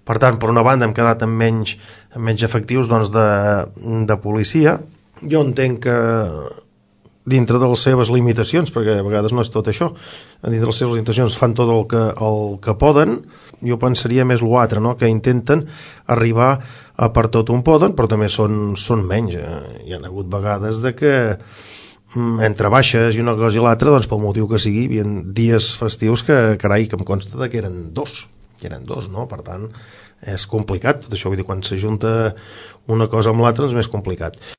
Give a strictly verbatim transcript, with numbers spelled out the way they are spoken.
Per tant, per una banda hem quedat amb menys, amb menys efectius doncs, de, de policia. Jo entenc que dintre de les seves limitacions, perquè a vegades no és tot això, dintre de les seves limitacions fan tot el que, el que poden. Jo pensaria més l'altre, no? Que intenten arribar a per tot on poden, però també són, són menys. Hi ha hagut vegades de que entre baixes i una cosa i l'altra, doncs pel motiu que sigui, hi havia dies festius que, carai, que em consta de que eren dos, que eren dos, no? Per tant, és complicat tot això, vull dir, quan s'ajunta una cosa amb l'altra és més complicat.